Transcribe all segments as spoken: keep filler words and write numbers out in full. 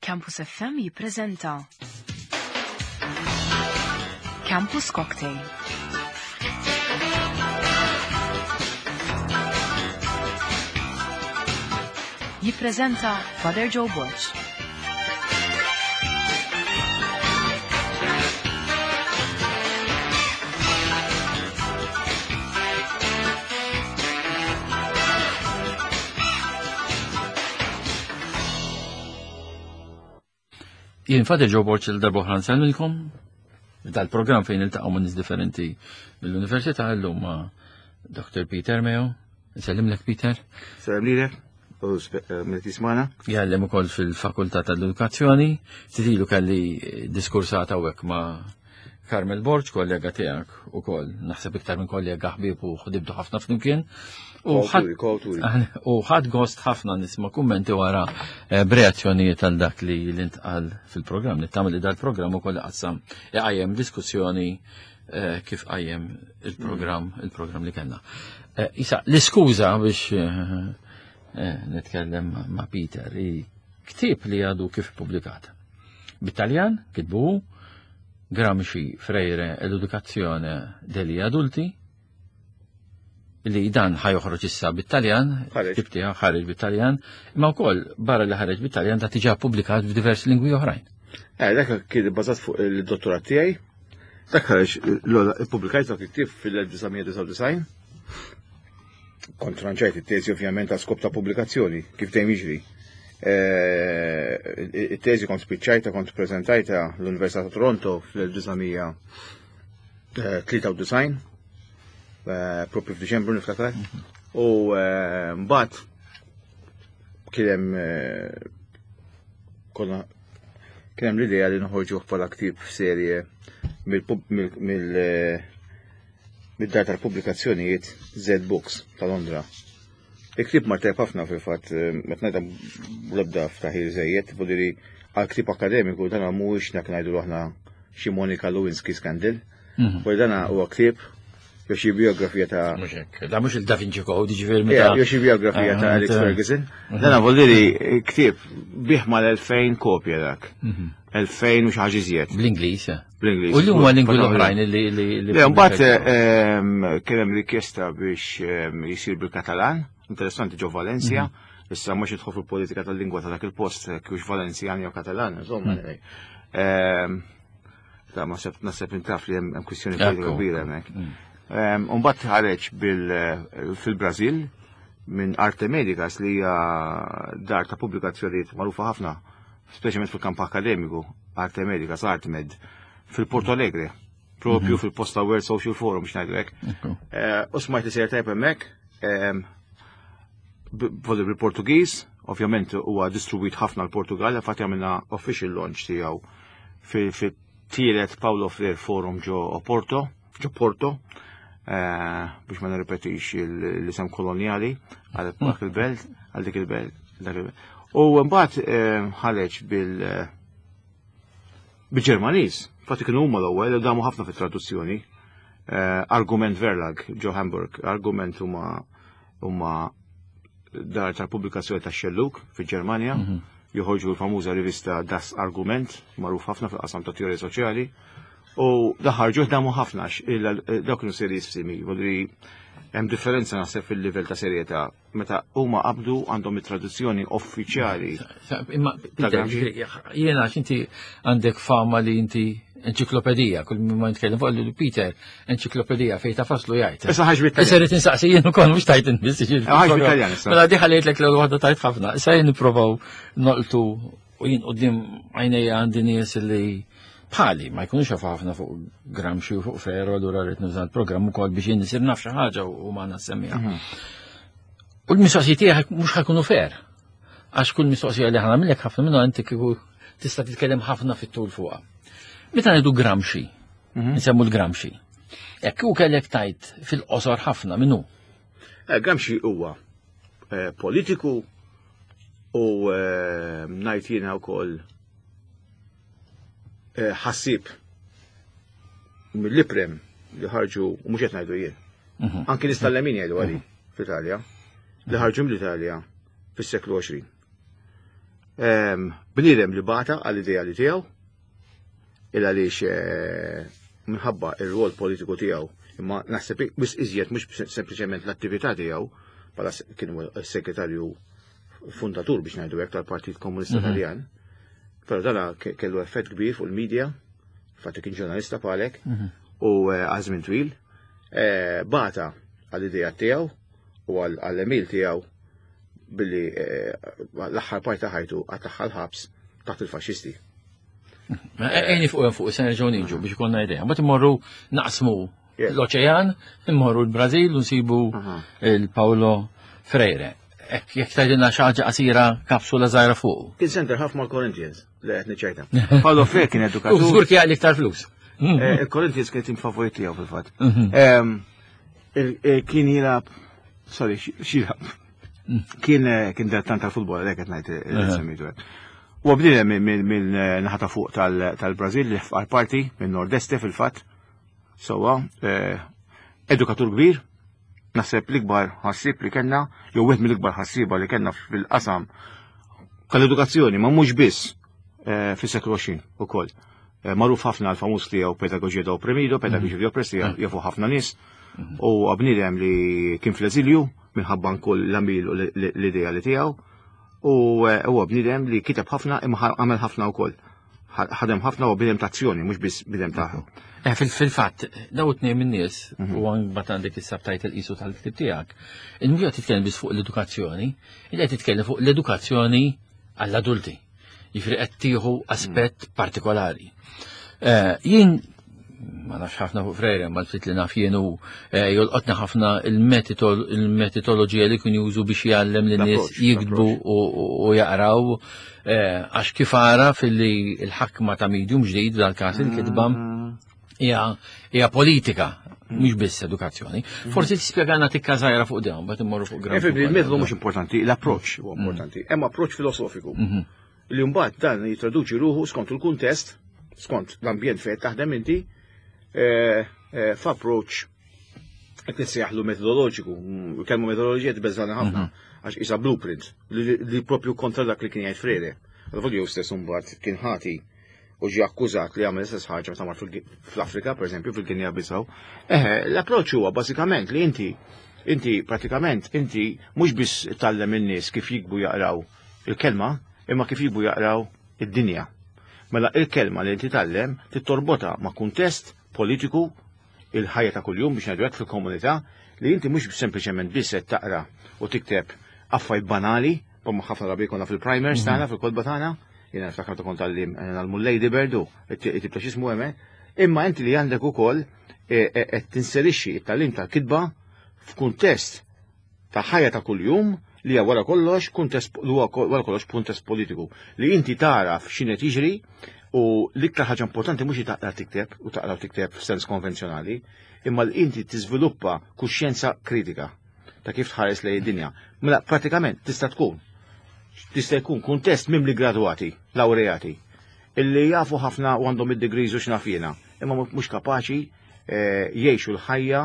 Campus F M jippreżenta Campus Cocktail. Jippreżenta Father Joe Borg. Jien Father Joe Borg, il-darba oħra nsellmilkom dal-programm fejn iltaqgħu ma' nies differenti mill-università, llum ma' Doctor Peter Meo. Nsellimlek, Peter. Sellem lilek u min jismagħna. Jgħallem ukoll fil-Fakultà tal-Edukazzjoni. Titilu kelli diskursata hawnhekk ma' Carmel Borg, kollega tiegħek ukoll, naħseb iktar minn kollega, ħbieb u ħdibtu ħafna flimkien. U Koawturi, koawturi. U ħadt gost ħafna nisma' kummenti wara eh, b'reazzjonijiet għal dak li l-intqal fil-programm. Nittama li dal-programm ukoll qassam iqajjem diskussjoni eh, kif qajjem il-programm il-programm li kellna. Eh, Isa, l-iskuża biex nitkellem ma' Peter i ktieb li għadu kif publikat. Bit-Taljan, kitbu Gramsci, Freire, l'educazione degli adulti, li dan ħa joħroġ issa bit-Taljan, Ħareġ. ktieb tiegħu ħareġ bit-Taljan, imma wkoll barra li ħareġ bit-Taljan da diġà publikat f'diversi lingwi oħrajn. Eh, dak kien bbażat fuq il-dottorat tiegħi. Dak ħareġ l ippubblikajt dak il-ktieb fil-elf disa' mija disgħa u disgħin. Kont ranġajt it-teżi ovvjament għal skop ta' pubblikazzjoni, kif dejjem jiġri. Eh, It-teżi kont spiċċajta, kont preżentajta l-Università ta' Toronto fl-elf disa' mija tlieta u disgħin, eh, propju f'Diċembru niftakar. U eh, mbagħad kien hemm eh, konna kien hemm l-idea li noħorġu bħala ktieb f'serje mill mid-dar tal-pubblikazzjonijiet Z Books ta' Londra. Il-ktieb mar tajb ħafna fil-fatt, meta ngħidha l-ebda ftaħir żejjed, vuol għal ktieb akademiku dan mhuwiex dak ngħidu aħna xi Monica Lewinsky scandal. Mhm. U dan huwa ktieb jew xi biografija ta' Mhux hekk, da mhux il-Da Vinci Code, jiġifieri Ja, meta. jew xi biografija ta' Ah, Alex ta' Ferguson. Dan vuol dire ktieb biegħ mal-elfejn kopja dak. Mhm. Elfejn u xi ħaġa iżjed. Bl-Ingliż. eh. Bl-Ingliż. U l-huma lingwi l-oħrajn li li li Le, mbagħad ehm, kien hemm rikjesta biex ehm, jisir bil-Katalan, interessanti ġo Valencia. Issa mhux idħol fil-politika tal-lingwa ta' dak il-post kienx Valenzjan jew Katalan, insomma. Ehm, Ta' ma seb naħseb intaf li hemm hemm kwistjoni politika Ekku. kbira hemmhekk. Ehm, U mbagħad ħareġ bil- fil-Brażil minn Arte Medicas, li hija dar ta' pubblikazzjonijiet magħrufa ħafna, speċjalment fil-kamp akademiku, Arte Medicas, Artmed, fil-Porto Alegre, propju fil-post ta' World Social Forum biex ngħidu hekk. Ekku. Eh, U smajt li sejjer tajb hemmhekk, ehm, b- voli bil-Portugiż, ovvjament huwa distribwit ħafna l-Portugal, infatti għamilna official launch tiegħu fit-tielet Paulo Freire Forum ġo Oporto, ġo Porto, eh, biex ma nirrepetix il- l-isem koloniali għal dak il-belt, għal dik il-belt, dak il-belt. U mbagħad eh, ħareġ bil bil-Ġermaniż, infatti kienu huma l-ewwel, damu ħafna fit-traduzzjoni. Eh, Argument Verlag ġo Hamburg, Argument huma huma dar tal-pubblikazzjoni ta' Xellug fil-Ġermanja, joħorġu l-famuża rivista Das Argument, magħruf ħafna fil-qasam ta' teorija soċjali, u daħarġu damu ħafna għax il- dawk kienu serjissimi, vuol hemm differenza naħseb fil-livell ta' serjetà meta huma qabdu għandhom it-traduzzjoni uffiċjali. Sa- Imma, Peter, Gramsci? ġifieri, jiena għax inti għandek fama li inti enċiklopedija, kull ma nitkellem fuq li Peter enċiklopedija fejn ta' faslu jgħid. Issa ħaġ bit Issa rrid insaqsi jien ukoll mhux tajt inti. ġifieri. Ħaġ bit-Taljan issa. Mela di ħallejtlek l waħda tajt ħafna. Issa jien nipprovaw noqtu u jien quddiem għajnejja għandi nies li bħali ma jkunux jafu ħafna fuq Gramsci u fuq Freire, allura rrid nuża l-programm ukoll biex jien nisir naf xi ħaġa u ma nassemmiha. U l-mistoqsijiet tiegħek mhux ħa jkunu fair. Għax kull mistoqsija li ħa nagħmillek ħafna minnha inti kieku tista' titkellem ħafna fit-tul fuqha. Meta ngħidu Gramsci, nsemmu l-Gramsci. Jekk u kellek tajt fil-qosor ħafna minnu. Eh, Gramsci huwa eh, politiku u eh, ngħid jiena wkoll eh, ħassib mill-iprem li ħarġu, u mhux qed ngħidu jien. Anki nies tal-lemin jgħidu għali fl-Italja, li ħarġu mill-Italja fis-seklu għoxrin. Ehm, bniedem li bata għall-ideali tiegħu, il għaliex eh, minħabba ir-rol politiku tiegħu, imma naħseb biss iżjed mhux sempliċement l-attività tiegħu, bħala kien segretarju fundatur biex ngħidu hekk tal-Partit Komunista mhm. Taljan. Però dana kellu effett kbir fuq il-medja, fatti kien ġurnalista palek, mhm. u eh, għal żmien twil, eh, bata għall-idea tiegħu u għall-għemil tiegħu billi eh, l-aħħar parti ħajtu għattaħħa l-ħabs taħt il-faxxisti. Ejni fuq fuq, se nerġgħu niġu biex ikollna idea. Mbagħad immorru naqsmu l-oċean, immorru l-Brażil u nsibu il-Paolo Freire. Jekk tgħidilna xi ħaġa qasira kapsula żgħira fuq. Kien center half mal-Corinthians, li qed niċċajta. Paolo Freire kien edukatur. U żgur kien iktar flus. Eh, il-Corinthians kien tim favorit tiegħu fil-fatt. Mhm. Eh, kien jilgħab, sorry, x'jilgħab. Mm. Kien eh, kien dilettant tal-futbol, għalhekk qed ngħid semmejtu hekk. U bniedem minn naħa ta' fuq tal-Brażil li fqar parti minn Nord-Este fil-fatt. Sowa, edukatur kbir, naħseb l-ikbar ħassib li kellna, jew wieħed mill-ikbar ħassiba li kellna fil-qasam tal-edukazzjoni, ma mhux biss eh, fis-seklu għoxrin ukoll. Eh, magħruf ħafna l-famuż tiegħu Pedagogia do Oprimido, Pedagogia di Oppressi, mhm. jafu ħafna nies, mhm. u bniedem li kien fl-eżilju minħabba kull l-għemil u l-idea li tiegħu, u eh, huwa bniedem li kiteb ħafna imma għamel ħafna wkoll. Ħadem ħafna u bniedem ta' azzjoni, mhux biss bniedem ta' Eh, fil-fatt, daw tnejn min-nies, mhm. u għan bat għandek is-subtitle qisu tal-ktib tiegħek, il-mhux qed titkellem biss fuq l-edukazzjoni, il qed titkellem fuq l-edukazzjoni għall-adulti. Jiġifieri qed tieħu aspett mhm. partikolari. Eh, jien ma nafx ħafna fuq Freire, ma l-ftit li naf jien u eh, jolqotna ħafna il-metodoloġija li kien jużu biex jgħallem lin nies jiktbu u jaqraw eh, għax kif ara fil-li l-ħakma ta' medium ġdid dal-każ il-kitba mm. hija politika, mhux biss edukazzjoni. Forsi tispjegana tikka żgħira fuq dawn, mbagħad immorru fuq Gramsci. Il-metodu mhux importanti, l-approċċ huwa mm. importanti. Hemm approċċ filosofiku mhm. li mbagħad dan jitraduċi ruħu skont il-kuntest, skont l-ambjent fejn taħdem inti, eh, eh, f'approċċ qed nissejjaħlu metodoloġiku, mm, kelma metodoloġija tbeżżana ħafna, mhm. għax isa blueprint li propju kontra dak li kien jgħid Freire. Għal jew stess mbagħad kien ħati u ġie akkużat li għamel istess ħaġa meta mar fl-Afrika, per eżempju, fil-Guinea Bissau. Eħe, l-approċċ huwa bażikament li inti inti pratikament inti mhux biss tgħallem in-nies kif jiktbu jaqraw il-kelma, imma kif jiktbu jaqraw id-dinja. Mela il-kelma li inti tgħallem tittorbota ma' kuntest politiku il-ħajja ta' kuljum biex ngħidu hekk fil-komunità li inti mhux sempliċement biss qed taqra u tikteb affarijiet banali, bħalma ħafna drabi jkollna fil-primers tagħna, fil-kotba tagħna, jiena niftakar ta' kont għallim għal Lady Bird u it-tip ta' x'ismu hemm, imma inti li għandek ukoll qed tinserixxi it-tagħlim tal-kitba f'kuntest ta' ħajja ta' kuljum li hija wara kollox kuntest li huwa wara kollox kuntest politiku li inti taraf x'inhu jiġri u l-iktar ħaġa importanti mhux li taqra tikteb u taqra tikteb f'sens konvenzjonali, imma li inti tiżviluppa kuxjenza kritika ta' kif tħares lejn id-dinja. Mela pratikament tista' tkun tista' jkun kuntest mimli gradwati, laureati, illi jafu ħafna u għandhom id-degrees u x'naf jiena, imma mhux kapaċi eh, jgħixu l-ħajja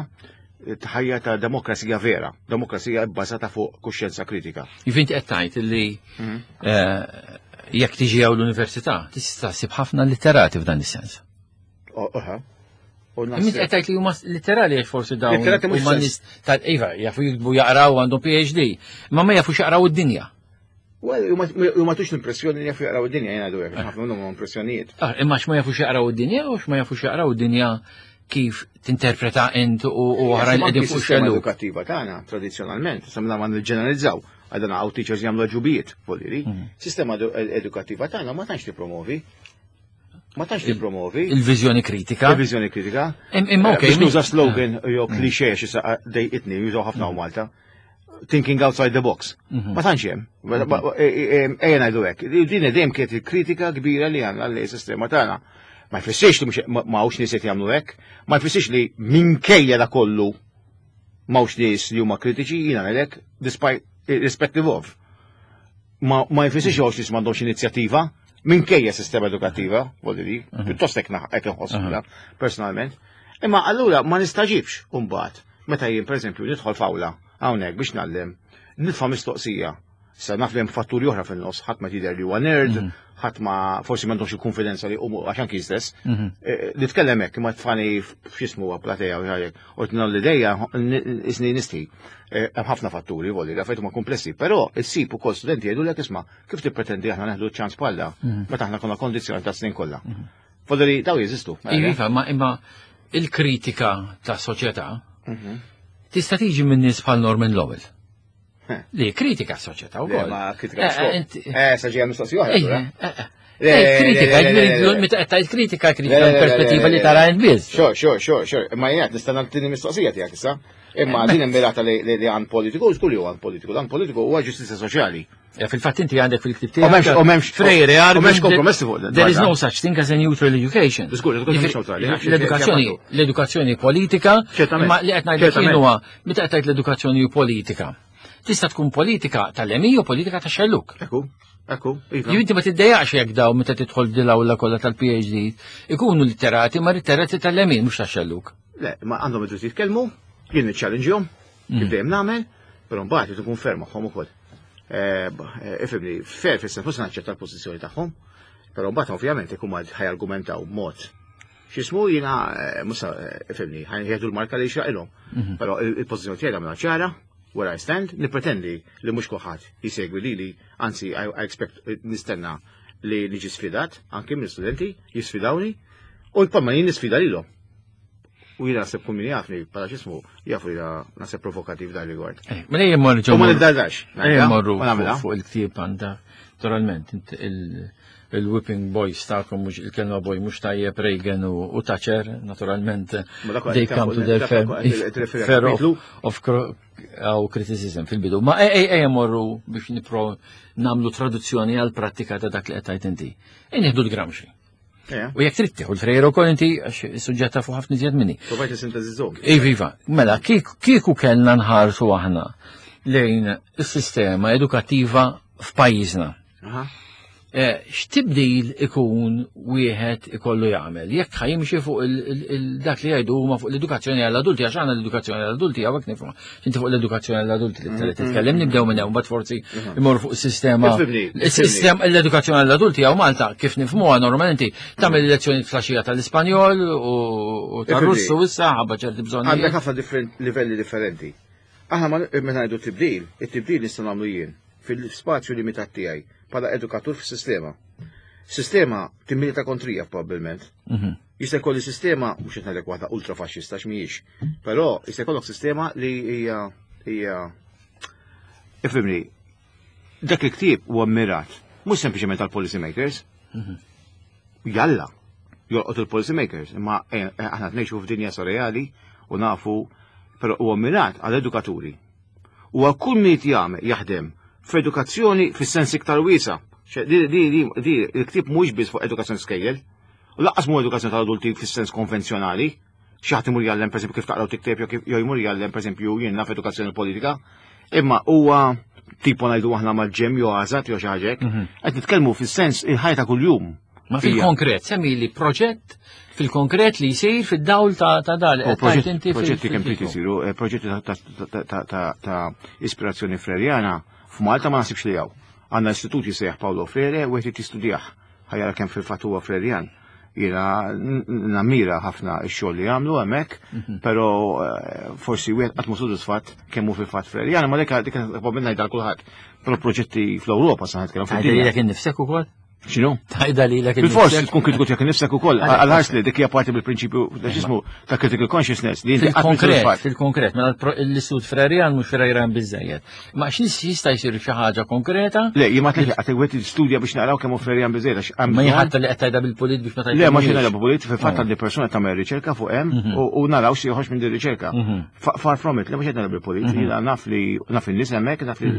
ħajja ta' demokrazija vera, demokrazija bbażata fuq kuxjenza kritika. Jiġifieri qed tgħid illi mhm. eh, jekk tiġi hawn l-università, tista' ssib ħafna litterati f'dan is-sens. Oħa. Min qed tgħid li huma literali għax forsi dawn huma nies tal-iva jafu jiktbu jaqraw għandhom PhD, imma ma jafux jaqraw id-dinja. U ma tux l-impressjoni li jafu jaqraw id-dinja jena dwar, ħafna minnhom impressjonijiet. Ah, imma x'ma jafux jaqraw id-dinja u x'ma jafux jaqraw id-dinja kif tinterpreta int u oħrajn qegħdin fuq xellu. Edukattiva tagħna tradizzjonalment, semna ma niġġeneralizzaw, għadana hawn teachers jagħmlu ġubijiet, voliri. Mhm. Sistema edukattiva tagħna ma tantx tippromovi. Ma tantx tippromovi. Il-viżjoni kritika. Il-viżjoni kritika. Imma okej. Biex nuża slogan jew klixè xi dejqitni jużaw ħafna Malta. Thinking outside the box. Mhm. Ma tantx hemm. Mhm. Ejja ngħidu hekk. Din dejjem kienet il-kritika kbira li għandna li sistema tagħna. Ma jfissirx li ma hawnx nies qed jagħmlu hekk, ma jfissirx li minkejja da kollu m'hawnx nies li huma kritiċi, jiena ngħidlek despite irrespective of. Ma, ma jfissirx hawnx nies m'għandhomx inizjattiva minkejja sistema edukattiva, voglio di, mhm. pjuttost hekk hekk inħoss personalment. Imma allura ma nistaġibx mbagħad meta jien pereżempju nidħol f'awla hawnhekk biex ngħallem, nitfa' mistoqsija Sa naf li hemm fatturi oħra fin-nofs, ħadd ma jidher li huwa nerd, ħadd ma forsi m'għandhomx il-konfidenza li huma għax anki stess. Eh, Nitkellem hekk imma tfani f'x'ismu huwa platea u ħajek. U tnal l-idea isni nisti. Eh, Hemm ħafna fatturi volli, l-affarijiet huma komplessi, però issib ukoll studenti jgħidulek isma' kif tippretendi aħna neħdu ċans bħalla meta aħna konna kondizzjonati ta' snin kollha. Volli daw jeżistu. Iva, ma imma il-kritika ta' soċjetà tista' tiġi minn nies bħal Norman Lowell. Li kritika s-soċjetà Le, wkoll. ma kritika Eh, xogħol. inti- Eh, sa ġejja mistoqsija oħra. Eh, allura. eh, eh. Le, Eh, kritika, le, le, le, le, le. meta qed tgħid kritika, Le, kritika le, le, perspettiva le, li le, tara le. int biss. Sure, sure, sure, sure. Ma jgħat, nista' nagħtini mistoqsija tiegħek issa. Imma din immirata li li li għan politiku, żgur li huwa għan politiku. Dan politiku huwa ġustizzja soċjali. Ja, fil-fatt inti għandek fil-ktib U m'hemmx- tiegħek. u m'hemmx- Freire u argued m'hemmx kompromessi fuq dan. There is no such thing as a neutral education. Żgur, l-edukazzjoni mhix neutrali. L-edukazzjoni, l-edukazzjoni politika, Ċertament. imma li qed ngħidlek jien Ċertament. huwa meta qed tgħid l-edukazzjoni politika. Tista' tkun politika tal-lemin u politika ta' xelluk. Ekku, ekku, iva. Ju inti ma tiddejjaqx jekk daw meta tidħol dil-awla kollha tal-PhD ikunu litterati ma litterati tal-lemin mhux ta' xelluk. Le, ma għandhom id-dritt jitkellmu, jien niċċallenġjhom, kif dejjem nagħmel, però mbagħad irid ikun fair magħhom ukoll. Eh, b- eh, Ifhimni, fair fis-sens mhux naċċetta l-pożizzjoni tagħhom, però mbagħad ovvjament ikun ma ħajargumentaw b'mod. X'ismu jiena eh, mhux eh, ifhimni, ħajħedu l-marka li jxraqilhom. Però il- il-pożizzjoni tiegħi nagħmilha ċara, where I stand, nippretendi li mhux kulħadd jisegwi lili, anzi I, I expect eh, nistenna li niġi sfidat, anke minn studenti jisfidawni, u l-palma jien nisfida lilhom. U jiena naħseb kull min jafni, bħala x'ismu, jafu jiena naħseb provokativ dan rigward. Eh, Mela jien morru U ma niddardax. Ejja morru Ma nagħmilha. fuq fuq il-ktieb għandha naturalment int il- il-whipping boys tagħkom mhux il-kelma boy mhux tajjeb Reagan u u Thatcher naturalment Ma dak they come to their fair, fair of, of cro- aw criticism fil-bidu. Ma ej ej morru biex nipro namlu traduzzjoni għal prattika ta' dak li qed tgħid inti. Ej nieħdu l-Gramsci. U jekk trid tieħu l-Freire ukoll inti għax is-suġġett tafu ħafna iżjed minni. Provajt nisintetizzhom. Iva, iva, mela, kieku kieku kellna nħarsu aħna lejn is-sistema edukattiva f'pajjiżna. Aha. Eh, X'tibdil ikun wieħed ikollu jagħmel? Jekk ħa jimxi fuq il- il- il- dak li jgħidu huma fuq l-edukazzjoni għall-adulti, għax aħna l-edukazzjoni għall-adulti hawnhekk nifhmu. Inti fuq l-edukazzjoni għall-adulti li trid titkellem nibdew minn hemm mbagħad forsi imorru fuq is-sistema. Ifhimni, Is-sistema l-edukazzjoni għall-adulti hawn Malta kif nifhmuha normalment tagħmel lezzjoni flaxija tal-Ispanjol u u tar-Russu issa ħabba ċerti bżonnijiet. Għandek ħafna different livelli differenti. Aħna ma meta ngħidu tibdil, it-tibdil nista' nagħmlu jien fil-spazju limitat tiegħi bħala edukatur fis-sistema. Sistema timmilita kontrija probabbilment. Mhm. Jista' jkolli sistema mhux qed ngħidlek waħda ultra faxxista x'mhijiex, però jista' jkollok sistema li hija hija ifhimni, dak il-ktieb huwa mmirat mhux sempliċement għal policy makers. Jalla, jolqot il-policy makers, imma eh, eh, aħna ngħixu f'dinja surreali u nafu, però huwa mmirat għal edukaturi. U għal kull min jagħmel jaħdem f'edukazzjoni fis-sens iktar wiesa. Ċe, Di, di, di, di, il-ktieb mhux biss fuq edukazzjoni skejjel, u lanqas mhu edukazzjoni tal-adulti fis-sens konvenzjonali, xi ħadd imur jgħallem pereżempju kif taqraw tikteb jew kif jew jmur jgħallem pereżempju jien naf edukazzjoni politika, imma huwa tipo ngħidu aħna mal-ĠEMM jew għażat jew xi ħaġa hekk, qed nitkellmu fis-sens il-ħajja ta' kuljum. Ma fil-konkret, semmi li proġett fil-konkret li jsir fid-dawl ta' ta' dal. U proġetti proġetti kemm trid isiru, eh, proġetti ta' ta' ta' ta' ta' ta' ispirazzjoni freriana f'Malta ma nasibx li hawn. Għandna istitut jisejjaħ Paolo Freire u qed jistudjah. Ħa jara kemm fil-fatt huwa Frerian. Jiena n- nammira ħafna x-xogħol li jagħmlu hemmhekk, però eh, forsi wieħed qatt mhu sodisfatt kemm hu fil-fatt Frerian, ma dik dik probabbilment ngħidha kulħadd. Però proġetti fl-Ewropa sa nitkellem Tgħidha fid-dinja. lilek innifsek ukoll? X'inhu? Tgħidha lilek Bil-fors innifsek? tkun kritiku tiegħek innifsek ukoll, għal-ħars li dik hija parti mill-prinċipju ta' x'ismu ta' critical consciousness li inti qatt mhu Fil-konkret, sodisfatt. fil-konkret, mela l-pro- l-istitut Frerian mhux Frerian biżejjed. Ma x'nis jista' jsir xi ħaġa konkreta? Le, jien ma tlek għatek wieħed studja biex naqraw kemm hu Frerian biżejjed għax hemm Ma bżonn- jħatta li qed tgħidha bil-pulit biex ma tgħidha. Le, ma xejn nagħleb pulit, fil-fatt għandi persuna tagħmel riċerka fuq hemm u u naraw xi joħroġ minn din riċerka. Fa- Far from it, le mhux qed nagħleb bil-pulit, jiena naf li naf in-nies hemmhekk, naf li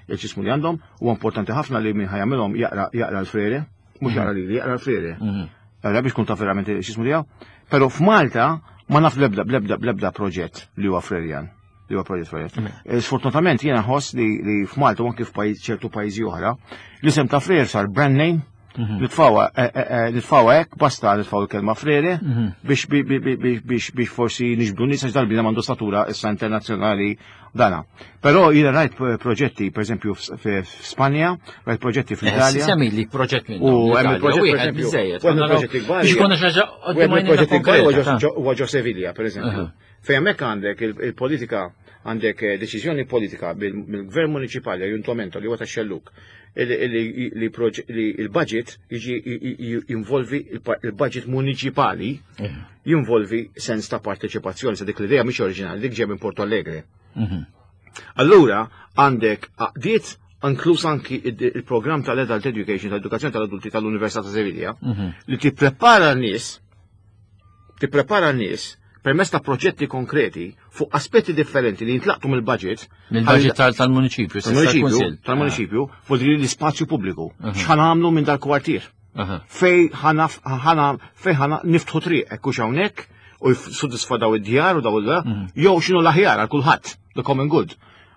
l-ġismu li għandhom, huwa importanti ħafna li min ħa jagħmilhom jaqra jaqra l-Freire, mhux jaqra lili, jaqra l-Freire. Jaqra biex kun taf verament x'ismu tiegħu. Però f'Malta ma naf l-ebda bl-ebda bl-ebda proġett li huwa Frerian li huwa proġett Frerian. Eh, Sfortunatament jiena ħoss li li f'Malta u anke f'pajjiż ċertu pajjiżi oħra, l-isem ta' Freire sar brand name Nitfgħuha eh, eh, eh, nitfgħuha hekk, basta nitfgħu l-kelma Freire biex bi- bi- bi- biex biex biex forsi niġbdu nies għax dal-bniedem għandu statura issa internazzjonali dana. Però jiena rajt proġetti, per eżempju, f'Spanja, rajt proġetti fl-Italja. Semmi li proġett minn. U hemm il-proġett, per wieħed eżempju, biżejjed. u hemm il-proġetti kbar. Biex ikonna xi ħaġa U hemm il-proġetti kbar huwa ġo- huwa ġo Sevilla, per eżempju. Fejn hemmhekk għandek il- il-politika, għandek eh, deċiżjoni politika bil- mill-gvern municipali, ayuntamiento li huwa tax-xelluk, li- li li proġ- li il-budget jiġi jinvolvi il-budget municipali jinvolvi sens ta' parteċipazzjoni, sa dik l-idea mhix oriġinali, dik ġej minn Porto Alegre. Allura għandek għaqdiet inkluż anki il- il-programm tal-Adult Education, tal-edukazzjoni tal-adulti tal-Università ta' Sevilla, li tipprepara n-nies, tipprepara n-nies permezz ta' proġetti konkreti fuq aspetti differenti li jintlaqtu mill-budget. Mill-budget tal- tal-municipju, tal-municipju, tal-municipju, fuq li l-ispazju pubbliku. X'ħa nagħmlu minn dal-kwartier? Aha. Fej ħana ħana fej ħana niftħu triq hekk hux hawnhekk u jissodisfa daw id-djar u daw il jew x'inhu l-aħjar għal kulħadd, the common good.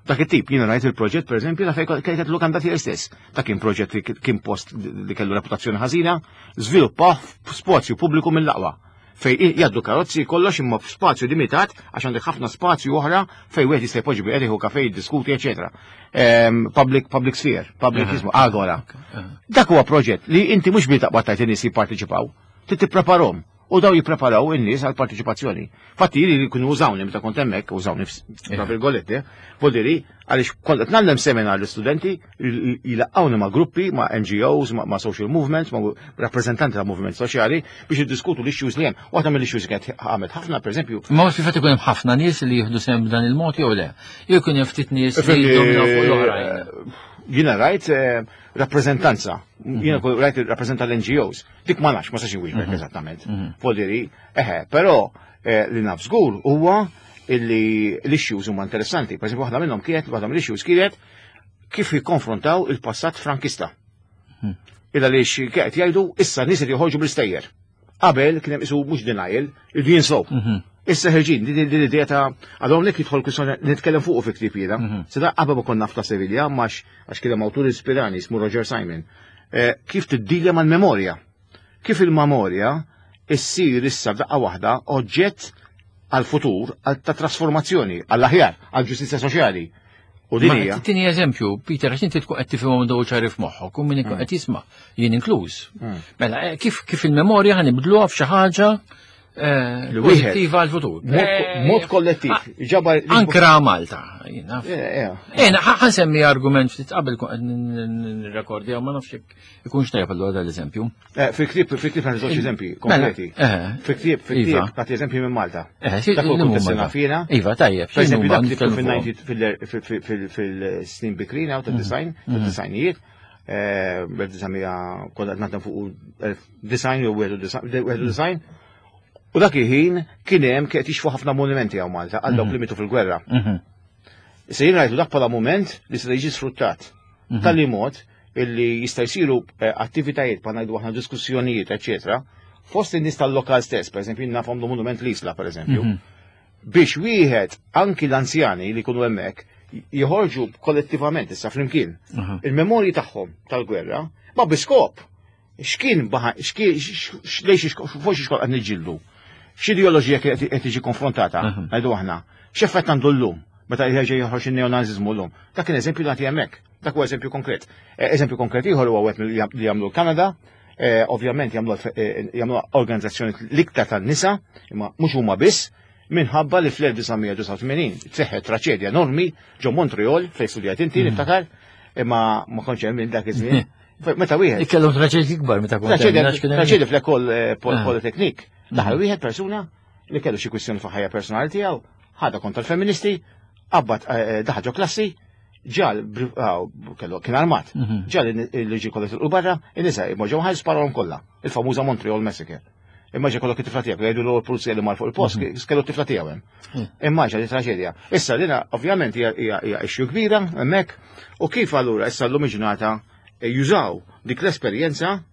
Dak it-tip, jiena rajt il-proġett pereżempju ta' fejn kienet lukanda tiegħi stess. Dak kien proġett li kien post li kellu reputazzjoni ħażina, żviluppa f'spazju pubbliku mill-aqwa. Fej jgħaddu karozzi kollox imma f'spazju limitat għax għandek ħafna spazju oħra fej wieħed jista' jpoġġi bi jieħu kafe jiddiskuti, eċetera. Ehm, Public public sphere, public ismu, agora. Dak huwa proġett li inti mhux bi taqbad tajt in-nies jipparteċipaw, trid tippreparhom. U daw jippreparaw in-nies għal parteċipazzjoni. Fatti li kienu użawni meta kont hemmhekk, użawni tra virgolette, vuol għaliex kont qed ngħallem seminar l-istudenti jilaqgħuni ma' gruppi, ma' N G Os, ma' ma' social movements, ma' rappreżentanti ta' movement soċjali biex jiddiskutu l-issues li hemm. Waħda mill-issues li kienet għamlet ħafna, pereżempju, Ma fil fatt ikun hemm ħafna nies li jieħdu sehem b'dan il-mod jew le? Jew ikun hemm ftit nies li jiddominaw fuq l-oħrajn. Jiena rajt eh, rappreżentanza, jiena kol rajt rappreżenta l-N G Os. Dik ma nafx, ma sax inwieġbek eżattament. Vuol eħe, però eh, li naf żgur huwa illi l-issues huma interessanti. Per eżempju, waħda minnhom kienet, waħda mill-issues kienet kif jikkonfrontaw il-passat frankista. Illa li kienet jgħidu issa nies qed joħorġu bl-istejjer. Qabel kien hemm isu mhux denial, irdu jinsow. Issa ħerġin, din din l-idea ta' għadhom lek jidħol kwistjoni nitkellem fuq fi ktieb jiena. Sida qabel ma konna nafta Sevilla, max għax kien hemm awtur ispirani ismu Roger Simon. Eh, Kif tiddilja mal-memorja? Kif il-memorja issir issa f'daqqa waħda oġġett għal-futur, għal ta' trasformazzjoni, għall-aħjar, għal-ġustizzja soċjali. U din Ma hija. tini eżempju, Peter, għax inti tkun qed tifhimhom daw ċari f'moħħok u min ikun qed jisma' jien inkluż. Mela, eh, kif kif il-memorja ħa nibdluha f'xi ħaġa eh, Li wieħed- pożittiva għall-futur. Mod Eh, mod kollettiv. Ġabar. Ankra Malta, jien naf. Eh, eh. Ena, ħa nsemmi argument ftit qabel kun qed nirrekordja ma nafx jekk ikunx tajjeb allura dal-eżempju. Eh, Fil-ktieb, fil-ktieb għandi żewġ eżempji Mela, konkreti. eh, Fil-ktieb, fil-ktieb, Iva. nagħti eżempji minn Malta. Eh, si- Dak huwa li huma kunt sena da? fina. Iva, tajjeb. Per eżempju, dak li nitkellmu fil-nineties fuqhom. fil-snin bikrina u tal-design, tal-designijiet, bel-design konna qed naħdem fuq design jew wieħed u design. U dak il-ħin kien hemm kien qed jixfu ħafna monumenti hawn Malta għal dawk li mitu fil-gwerra. Mhm. Issa jien rajtu dak bħala moment li se jiġi sfruttat. Tal-li mod illi jista' jsiru eh, attivitajiet bħal ngħidu aħna diskussjonijiet, eċetera, fost in-nies tal-lokal stess, pereżempju jien nafhom monument l-Isla, pereżempju, biex wieħed anki l-anzjani li jkunu hemmhekk joħorġu kollettivament issa flimkien il-memorji tagħhom tal-gwerra, ma biskop. X'kien baħa, x'kien lejx fuq xi qed niġġieldu. X'ideoloġija qed qed tiġi konfrontata, ngħidu aħna. X'effett għandu llum meta jerġa' joħroġ in-neonaziżmu llum. Dak kien eżempju nagħti hemmhekk. Dak huwa eżempju konkret. Eh, Eżempju konkret ieħor huwa wieħed li jagħmlu l-Kanada, eh, ovvjament jagħmlu eh, jagħmlu organizzazzjoni l-iktar tan-nisa, imma mhux huma biss, minħabba li fl-elf disa' mija disgħa u tmenin seħħet traċedja enormi ġo Montreal fejn studjat inti niftakar, imma ma kontx hemm minn dak iż-żmien. Meta wieħed Ikkellhom traċedji kbar meta kont hemm, Traċedja għax kien hemm- traċedja fl-École eh, Pol- Ah. Polytechnique. Daħal wieħed persuna li kellu xi kwistjoni fuq ħajja personali tiegħu, ħadha kontra l-feministi, qabad eh, daħal ġo klassi, ġal bri- ah, kellu kien armat, Mhm. ġal li ġi kollha tilqu barra, in-nisa ġew ħaj sparahom kollha. Il-famuża Montreal Massacre. Immaġina kollok it-tifla tiegħek, jgħidu l pulizija li mar fuq il-post, kellu t-tifla tiegħu hemm. Immaġina li traġedja. Issa lina ovvjament hija hija hija issue kbira hemmhekk u kif allura issa llum il-ġurnata eh, jużaw dik l-esperjenza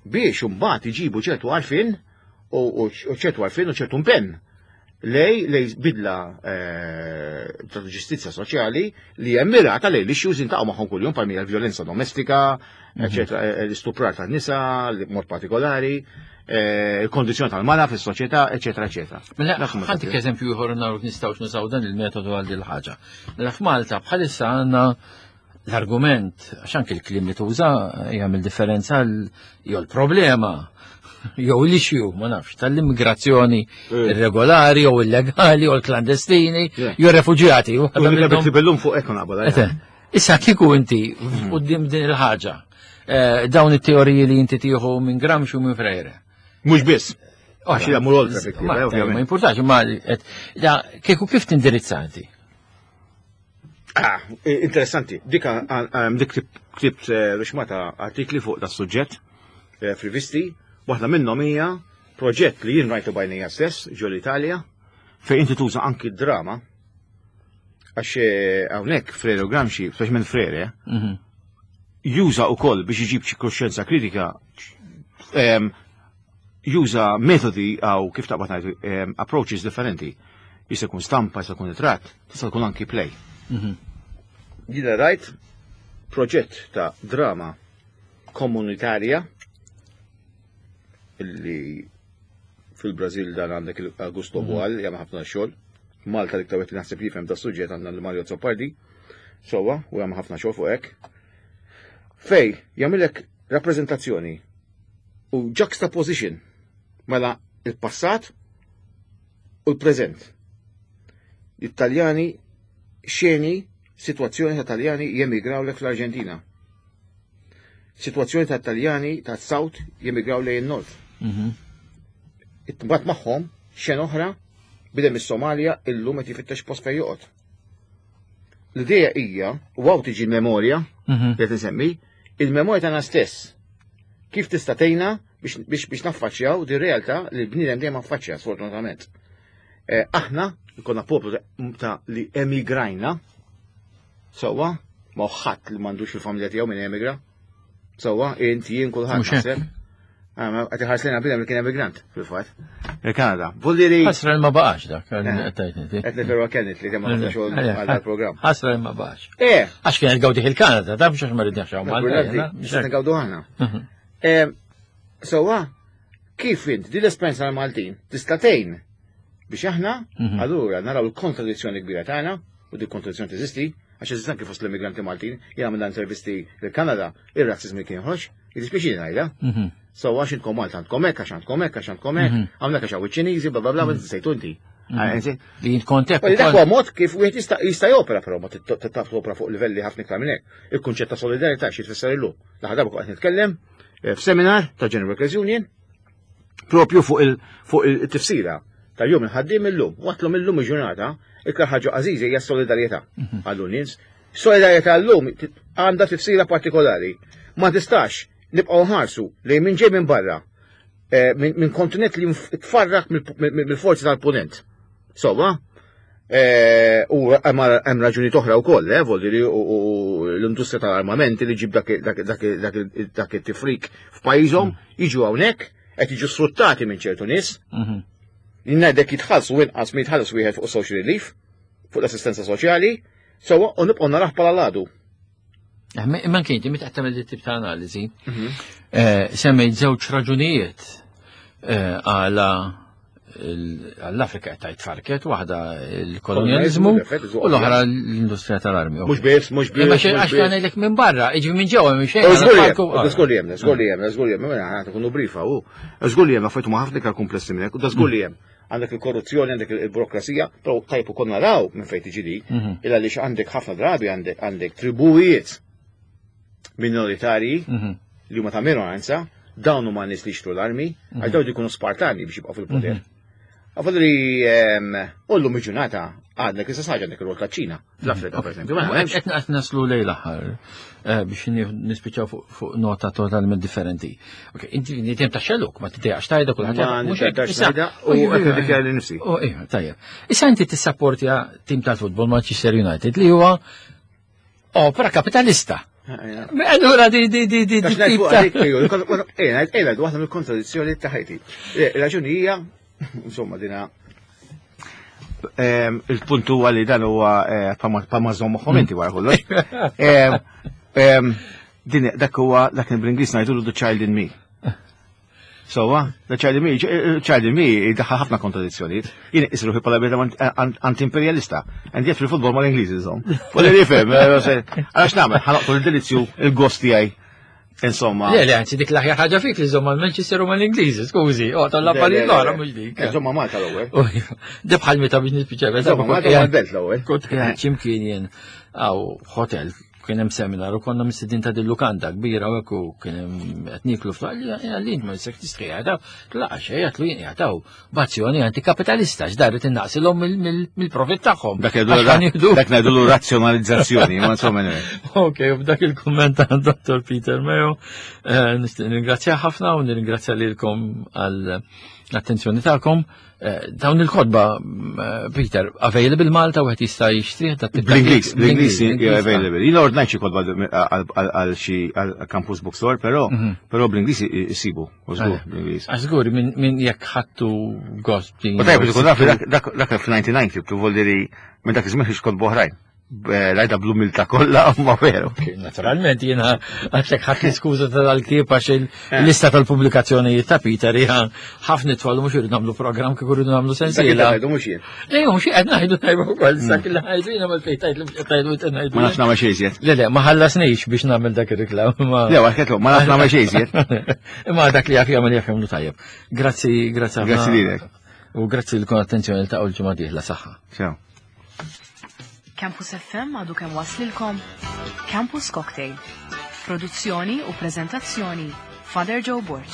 biex imbagħad iġibu ċertu għarfien u u ċertu għarfien u ċertu impenn. lej lej bidla eh, ta' ġustizzja soċjali li hemm mirata lej l-issues intaqgħu magħhom kuljum bħal l-vjolenza domestika, eċetera, eh, l-istuprar tan-nisa, mod partikolari, eh, il-kondizzjoni tal-mara fis-soċjetà, eċetera, eċetera. Mela, Dak huma ħa ntik eżempju ieħor naraw nistgħux nużaw dan il-metodu għal din il-ħaġa. Mela f'Malta bħalissa għandna l-argument, għax anke l-kliem li tuża jagħmel differenza l- jew l-problema jew l-issue, ma nafx, tal-immigrazzjoni Eh. irregolari jew illegali jew l-klandestini Yeah. jew refuġjati. U li minnhom fuq ekon qabel. Ete, Issa kieku inti quddiem din il-ħaġa, eh, dawn it-teoriji li inti tieħu minn Gramsci u minn Freire. Mhux biss. Għax jagħmlu oltre effettiv, Ma eh, ovvjament. ma importax, ma et- da, kieku kif tindirizzanti? Ah, interessanti. Dik ah, dik ktib- ktibt eh, rixmata artikli fuq da suġġett eh, f'rivisti. Waħda minnhom hija proġett li jien rajtu b'għajnejja stess ġo l-Italja fejn inti tuża anki drama għax eh, hawnhekk Freire u Gramsci, speċjalment Freire, Mhm. juża wkoll biex iġib xi kuxjenza kritika em, juża metodi għaw kif taqbad ngħidu em, approaches differenti. Jista' jkun stampa, jista' jkun ritratt, tista' tkun anki play. Mhm. Jiena rajt proġett ta' drama komunitarja illi fil-Brazil dan għandek il-Augusto Boal, jagħmel ħafna xogħol. Malta li ktawet li naħseb li jifhem da' suġġett għandna l-Mario Azzopardi. Sowa, u jagħmel ħafna xogħol fuq hekk. Fej, jagħmilek rappreżentazzjoni u juxtaposition mela il-passat u l-preżent. Italjani xeni situazzjoni ta' Taljani jemigraw lek fl-Arġentina. Situazzjoni ta' Taljani ta' South jemigraw lejn il-North. Mhm. Imbagħad magħhom xena oħra bidem is-Somalja illum qed jifittex post fejn joqgħod. L-idea hija, u hawn tiġi l-memorja Mhm. li qed insemmi, il-memorja tagħna stess. Kif tista' tgħinna biex biex biex naffaċċjaw di realtà li l-bniedem dejjem affaċċja sfortunatament. Eh, aħna konna poplu ta- ta' li emigrajna, sewwa, ma ħadd li m'għandux il-familja tiegħu minn emigra. Sewwa, inti jien kulħadd Mhux hekk. naħseb. Ah, ma qed iħares lejna bniedem li kien emigrant fil-fatt. Il-Kanada. Vuldiri Ħasra li ma baqax dak, Eh. qed tgħid inti. qed niferwa Kenneth li kemm ħafna xogħol għal dal-programm. Ħasra li ma baqax. Eh, Għax kien gawdih il-Kanada, ta' biex għax ma ridniex hawn Malta. jiena, mhux Nista' hekk. ngawdu aħna. Mhm. Eh, Sewwa, kif int di l-esperjenza tal-Maltin tista' tgħin biex aħna Mhm. allura naraw il-kontradizzjoni kbira tagħna u di kontradizzjoni teżisti għax eżisti anke fost l-immigranti Maltin, jien għamilna intervisti il-Kanada, ir-razzizmi kien joħroġ, jiddispjaċini ngħidha. Mhm. So għax intkom Malta għandkom hekk, għax għandkom hekk, għax għandkom hekk, Mhm. hawnhekk għax hawn iċ-Ċiniżi, bla bla bla, ma sejtu inti. Mhm. Li jint kontek. Dak huwa mod kif wieħed jista' jista' jopera però ma taf topera fuq livelli ħafna iktar minn hekk. Il-kunċett ta' solidarità xi tfisser illum. L-aħħar darba kont qed nitkellem eh, f'seminar ta' General Workers Union propju fuq il fuq il-tifsira ta' jum il-ħaddiem illum. Watlhom illum il-ġurnata iktar ħaġa għażiża hija s-solidarjetà għallu nies. Solidarjetà llum għandha tifsira partikolari. Ma tistax nibqgħu nħarsu lejn min ġej minn barra eh, minn min kontinent li tfarrak mill-forzi tal-punent. Sowa, eh, u hemm hemm raġuni oħra wkoll, eh, vuol dire, u u l-industrija tal-armamenti li ġib dak dak dak dak dak it-tifrik f'pajjiżhom jiġu hawnhekk qed jiġu sfruttati minn ċertu nies, Mhm. ngħidlek jitħallsu inqas mi jitħallas wieħed fuq social relief, fuq l-assistenza soċjali, sewwa u nibqgħu narah bħala ladu. Eh, Imma kien inti meta qed tagħmel dit tip ta' analiżi, eh, semmejt żewġ raġunijiet eh, għala il- għall-Afrika qed tgħid farket, waħda il-kolonjaliżmu u l-oħra l-industrija tal-armi. Mhux biss, mhux biss. Imma mhux għax biss. kan ngħidlek minn barra, iġi minn ġewwa minn xejn. U żgur li għal hemm, farku- żgur li hemm, żgur li hemm, żgur li hemm, mela ħa tkunu brifa u żgur li hemm affarijiet huma ħafna iktar komplessi minn hekk, u da żgur li hemm. Għandek il-korruzzjoni, għandek il-burokrazija, però tajb ukoll naraw minn fejn tiġi di, Mhm. illa għaliex għandek ħafna drabi għandek għandek tribujiet minoritarji Mhm. li huma ta' minoranza, dawn huma nies li jixtru l-armi, għal dawn jkunu Spartani biex jibqgħu fil-poter. Għafadri, u llum il-ġurnata għandek issa ħaġa għandek ir-rol taċ-Ċina fl-Afrika, per esempio. Ma hemmx. Qed qed naslu lejn l-aħħar eh, biex ni- nispiċċaw fuq- fuq nota totalment differenti. Ok, inti nitem ta' xelluk, ma tidejaqx tajda kulħadd Ma jaf, mhux hekk. niddax Issa- ngħidha u qed niddikjara li nifsi. Oh, iva, tajjeb. Issa inti tissapportja tim tal-futbol Manchester United li huwa opera kapitalista. Allura di di di di Għax di tip ngħid fuq ta' għalik, ejju, eh, ngħid- eh, ngħid waħda mill-kontradizzjoni ta' ħajti. Eh, Raġuni hija, insomma, dina Ehm, il-punt huwa li dan huwa eh, pa ma żomm moħħhom inti wara kollox. Ehm, ehm, din dak huwa dak bl-Ingliż ngħidulu the child in me. So, the child in me, child in me jdaħħal ħafna kontradizzjonijiet. Jien isru bħala bniedem anti-imperialista. And yet fil-futbol mal-Ingliżi żomm. Fuq li nifhem, eh, għax nagħmel, ħa noqtol il-delizzju il-gost tiegħi. Insomma. Le, le, anzi dik l-aħjar ħaġa fik li żomm mal-Manchester u mal-Ingliżi, skużi, oh, tal-affarijiet l-oħra mhux dik. Insomma Malta l-ewwel. Di bħal meta biex nispiċċa. Insomma Malta mal-belt l-ewwel. Kont qiegħed x'imkien jien għaw hotel kien hemm seminar u konna mistedin ta' dil-lukanda kbira u hekk u kien hemm qed nieklu f'għalli għalli ma jistax tistri għadaw. Tlaqa xejn għatlu jien jgħataw b'azzjoni antikapitalista x'daret innaqsilhom mill-profit tagħhom. Dak ngħidulu razzjonalizzazzjoni, ma insomma anyway. Ok, u b'dak il-kumment ta' Dottor Peter Mayo, eh, nixtieq nirringrazzja ħafna u nirringrazzja lilkom għal l-attenzjoni tagħkom. Eh, dawn il-kotba, eh, Peter, available Malta u għet jista' jixtrih? Bl-Ingliż, bl-Ingliż available. Jien ordnajt xi kotba għal xi għal Campus Bookstore, però mhm. però bl-Ingliż isibu, u żgur bl-Ingliż. Għax żgur minn jekk ħattu gost din. U tajb, ikun naf dak fil-disgħa u disgħin ktibtu voldiri minn dak iż-żmien kotba oħrajn. Lajda bl-umilta kollha, ma veru. Naturalment, jiena għatlek ħadd skuża tal-ktieb għax il-lista tal-pubblikazzjonijiet ta' Peter hija ħafna twal, mhux irridu nagħmlu programm kif irridu nagħmlu sensiela. Ngħidu mhux jien. Le, mhux qed ngħidu tajba wkoll sak li ngħidu jiena mal fejn tajt li mhux qed ngħidu qed ngħidu. Ma nafx nagħmel xejn iżjed. Le, le, ma ħallasnix biex nagħmel dak ir-reklam. Le, għax ma nafx nagħmel xejn iżjed. Imma dak li jaf jagħmel jaf jagħmlu tajjeb. Grazzi, grazzi ħafna. Grazzi lilek. U grazzi lilkom attenzjoni ta' l-ġimgħa dieħla saħħa. Ciao. Campus F M għadu kemm waslilkom Campus Cocktail. Produzzjoni u prezentazzjoni Father Joe Borg.